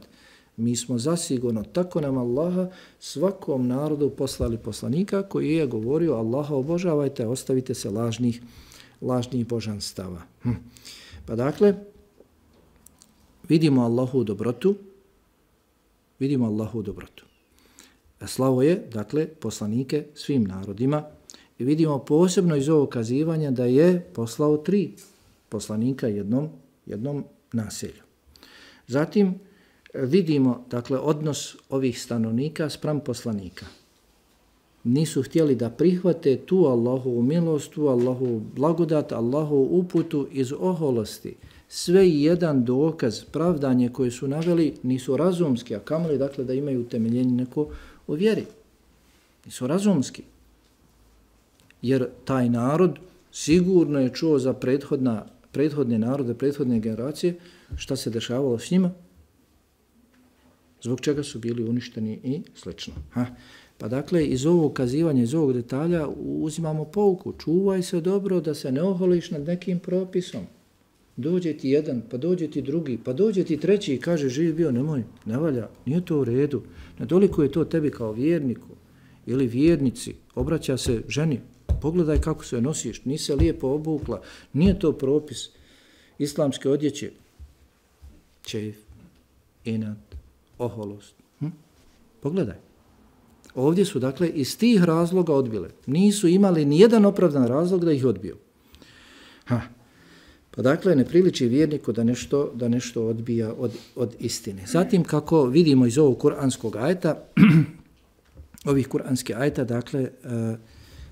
Mi smo zasigurno, tako nam Allaha, svakom narodu poslali poslanika koji je govorio Allaha obožavajte, ostavite se lažnih božanstava. Pa dakle, vidimo Allahu dobrotu, Slavo je, dakle, poslanike svim narodima i vidimo posebno iz ovog kazivanja da je poslao 3 poslanika jednom naselju. Zatim vidimo, dakle, odnos ovih stanovnika spram poslanika. Nisu htjeli da prihvate tu Allahovu milost, tu Allahovu blagodat, Allahovu uputu iz oholosti. Sve i jedan dokaz, pravdanje koje su naveli nisu razumski, a kamoli, dakle, da imaju utemeljenje neko u vjeri. Nisu razumski. Jer taj narod sigurno je čuo za prethodne narode, prethodne generacije, šta se dešavalo s njima, zbog čega su bili uništeni i slično. Pa dakle, iz ovog kazivanja, iz ovog detalja uzimamo pouku. Čuvaj se dobro da se ne oholiš nad nekim propisom. Dođe ti jedan, pa dođe ti drugi, pa dođe ti treći i kaže živ bio, nemoj, ne valja, nije to u redu. Nedoliko je to tebi kao vjerniku ili vjernici, obraća se ženi, pogledaj kako se nosiš, nisi se lijepo obukla, nije to propis islamske odjeće. Čeif, inat, oholost. Pogledaj. Ovdje su, dakle, iz tih razloga odbile. Nisu imali nijedan opravdan razlog da ih odbiju. Pa dakle, ne priliči vjerniku da nešto odbija od istine. Zatim, kako vidimo iz ovog kuranskog ajeta, ovih kuranskih ajeta, dakle,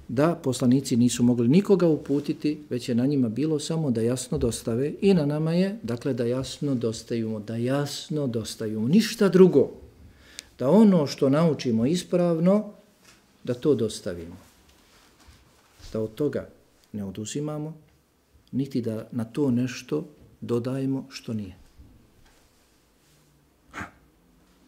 da poslanici nisu mogli nikoga uputiti, već je na njima bilo samo da jasno dostave i na nama je, dakle, da jasno dostavimo, ništa drugo. Da ono što naučimo ispravno, da to dostavimo. Da od toga ne oduzimamo, niti da na to nešto dodajemo što nije.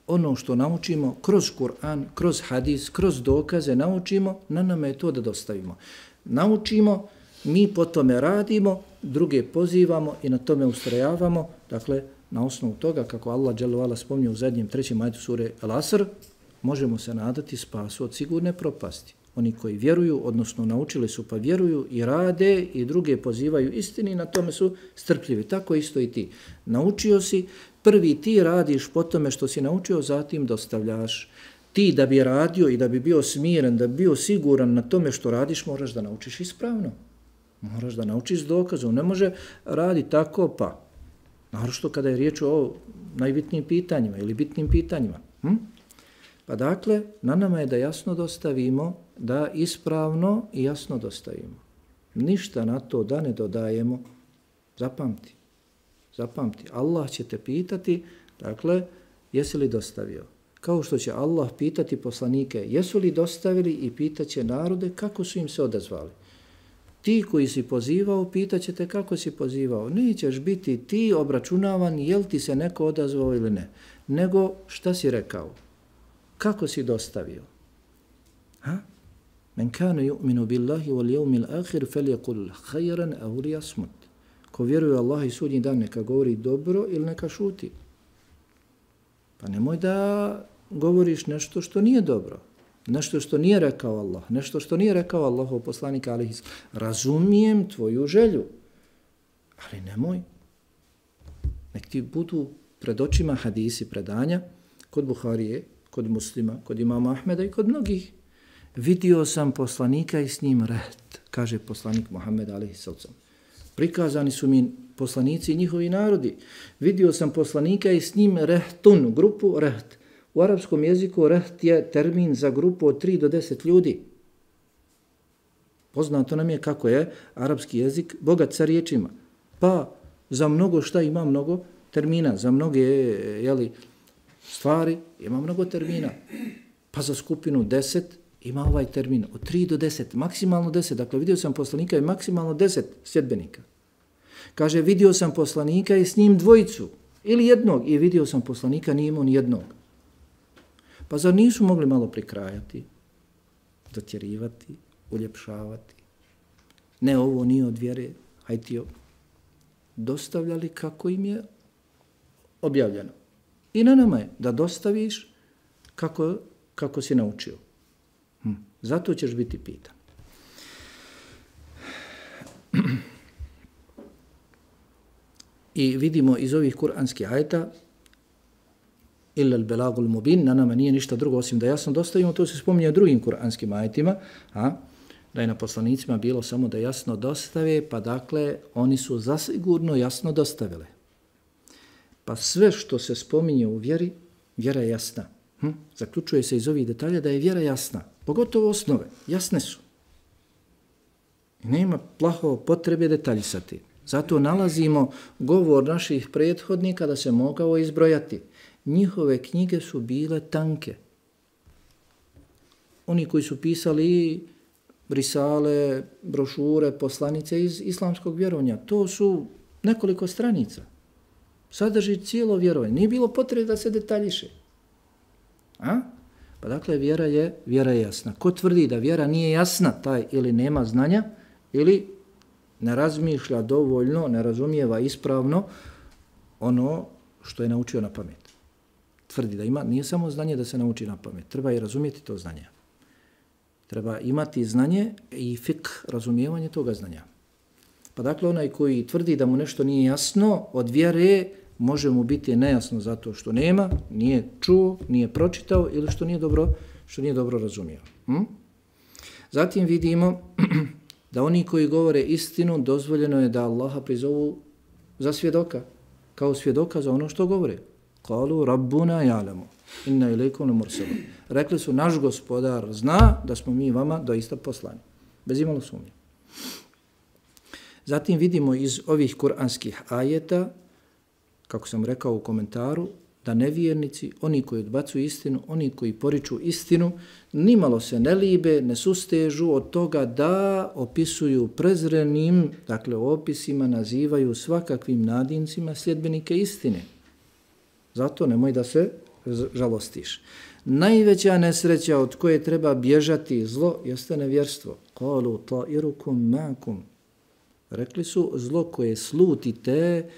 Ono što naučimo kroz Kur'an, kroz hadis, kroz dokaze naučimo, na nama je to da dostavimo. Naučimo, mi po tome radimo, druge pozivamo i na tome ustrajavamo, dakle, na osnovu toga, kako Allah dželle spominje u zadnjem 3. ajetu sure Al-Asr, možemo se nadati spasu od sigurne propasti. Oni koji vjeruju, odnosno naučili su pa vjeruju i rade i druge pozivaju istini, na tome su strpljivi. Tako isto i ti. Naučio si, prvi ti radiš po tome što si naučio, zatim dostavljaš. Ti da bi radio i da bi bio smiren, da bi bio siguran na tome što radiš, moraš da naučiš ispravno. Moraš da naučiš s dokazom. Ne može radi tako pa. Naročito kada je riječ o najbitnijim pitanjima ili bitnim pitanjima. Pa dakle, na nama je da jasno dostavimo, da ispravno i jasno dostavimo. Ništa na to da ne dodajemo. Zapamti. Allah će te pitati, dakle, jesi li dostavio? Kao što će Allah pitati poslanike, jesu li dostavili, i pitaće narode kako su im se odazvali. Ti koji si pozivao, pitaće te kako si pozivao. Nećeš biti ti obračunavan jel ti se neko odazvao ili ne, nego šta si rekao, kako si dostavio. Men kana yu'minu billahi wal yawmil akhir falyaqul khayran aw liyasmut. Ko vjeruje Allah i sudnji dan, neka govori dobro ili neka šuti. Pa nemoj da govoriš nešto što nije dobro. Nešto što nije rekao Allah, nešto što nije rekao Allahov poslanik alejhi selam. Razumijem tvoju želju, ali nemoj. Nek ti budu pred očima hadisi predanja kod Buharije, kod Muslima, kod imama Ahmeda i kod mnogih. Vidio sam poslanika i s njim reht, kaže poslanik Muhammed alejhi selam. Prikazani su mi poslanici i njihovi narodi. Vidio sam poslanika i s njim rehtun, grupu reht. U arapskom jeziku reht je termin za grupu od 3 do 10 ljudi. Poznato nam je kako je arapski jezik bogat sa riječima. Pa za mnogo šta ima mnogo termina, za mnoge stvari ima mnogo termina. Pa za skupinu 10 ima ovaj termin od 3 do 10, maksimalno 10. Dakle, vidio sam poslanika i maksimalno 10 sljedbenika. Kaže, vidio sam poslanika i s njim dvojicu ili jednog, i vidio sam poslanika, nije imao ni jednog. Pa zar nisu mogli malo prikrajati, dotjerivati, uljepšavati? Ne, ovo nije od vjere, hajde dostavljali kako im je objavljeno. I na nama je da dostaviš kako si naučio. Zato ćeš biti pitan. I vidimo iz ovih kuranskih ajeta illa al-balagul mubin, na nama nije ništa drugo osim da jasno dostavimo, to se spominje u drugim kuranskim ajetima, da je na poslanicima bilo samo da jasno dostave, pa dakle oni su zasigurno jasno dostavile. Pa sve što se spominje u vjeri, vjera je jasna. Zaključuje se iz ovih detalja da je vjera jasna. Pogotovo osnove, jasne su. I nema plaho potrebe detaljisati. Zato nalazimo govor naših prethodnika da se mogao izbrojati. Njihove knjige su bile tanke. Oni koji su pisali risale, brošure, poslanice iz islamskog vjerovanja, to su nekoliko stranica. Sadrži cijelo vjerovanje. Nije bilo potrebe da se detaljiše. Pa dakle, vjera je jasna. Ko tvrdi da vjera nije jasna, taj ili nema znanja, ili ne razmišlja dovoljno, ne razumijeva ispravno ono što je naučio na pamet. Tvrdi da ima, nije samo znanje da se nauči na pamet, treba i razumjeti to znanje. Treba imati znanje i fik, razumijevanje toga znanja. Pa dakle, onaj koji tvrdi da mu nešto nije jasno, od vjere može mu biti nejasno zato što nema, nije čuo, nije pročitao ili što nije dobro razumio. Zatim vidimo da oni koji govore istinu, dozvoljeno je da Allaha prizovu za svjedoka, kao svjedoka za ono što govore. Kalu rabbuna ja'lamu, inna ilaikum lamursalun. Rekli su, naš gospodar zna da smo mi vama doista poslani. Bez imalo sumnje. Zatim vidimo iz ovih kuranskih ajeta, kako sam rekao u komentaru, da nevjernici, oni koji odbacuju istinu, oni koji poriču istinu, nimalo se ne libe, ne sustežu od toga da opisuju prezrenim, dakle opisima nazivaju svakakvim nadincima sljedbenike istine. Zato nemoj da se žalostiš. Najveća nesreća od koje treba bježati zlo jeste nevjerstvo. Qalu ta'irukum ma'akum. Rekli su, zlo koje slutite,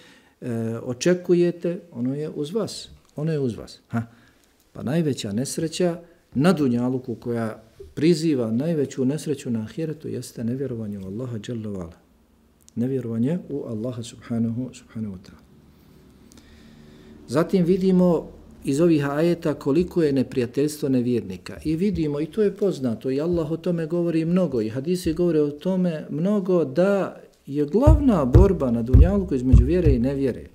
očekujete, ono je uz vas. Ono je uz vas. Pa najveća nesreća na dunjaluku koja priziva najveću nesreću na ahiretu jeste nevjerovanje u Allaha dželle ve ala. Nevjerovanje u Allaha subhanahu wa ta'ala. Zatim vidimo iz ovih ajeta koliko je neprijateljstvo nevjernika. I vidimo, i to je poznato, i Allah o tome govori mnogo, i hadisi govore o tome mnogo, da je glavna borba na dunjaluku između vjere i nevjere.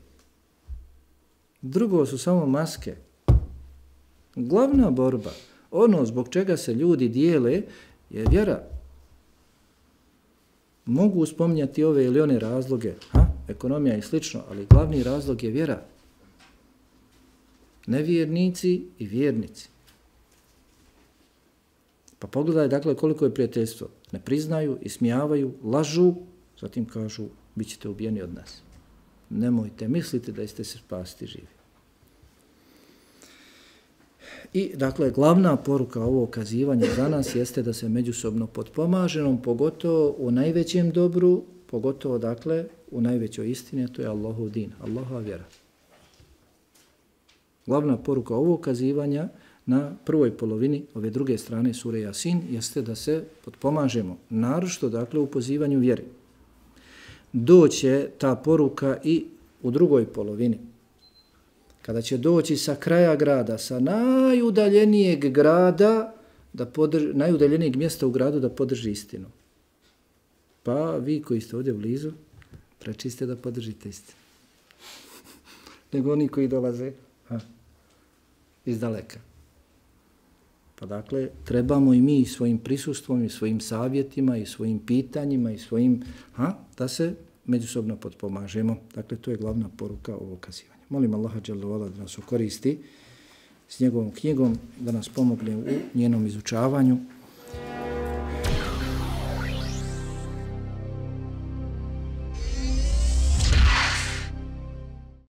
Drugo su samo maske. Glavna borba, ono zbog čega se ljudi dijele, je vjera. Mogu spominjati ove ili one razloge, ekonomija i slično, ali glavni razlog je vjera. Nevjernici i vjernici. Pa pogledaj dakle koliko je prijateljstvo. Ne priznaju, ismijavaju, lažu, zatim kažu, bit ćete ubijeni od nas. Nemojte misliti da ste se spasti živi. I dakle, glavna poruka ovog kazivanja za nas jeste da se međusobno potpomažemo, pogotovo u najvećem dobru, pogotovo dakle u najvećoj istini, a to je Allahov din, Allahova vjera. Glavna poruka ovog kazivanja na prvoj polovini ove druge strane sure Jasin jeste da se potpomažemo, naročito dakle u pozivanju vjeri. Doće ta poruka i u drugoj polovini. Kada će doći sa kraja grada, sa najudaljenijeg grada, najudaljenijeg mjesta u gradu da podrži istinu. Pa vi koji ste ovdje blizu, preči ste da podržite istinu. Nego oni koji dolaze iz daleka. Pa dakle, trebamo i mi svojim prisustvom i svojim savjetima i svojim pitanjima i svojim, da se međusobno potpomažemo. Dakle, to je glavna poruka ovog kazivanja. Molim Allaha dželle ve ala da nas koristi s njegovom knjigom, da nas pomogne u njenom izučavanju,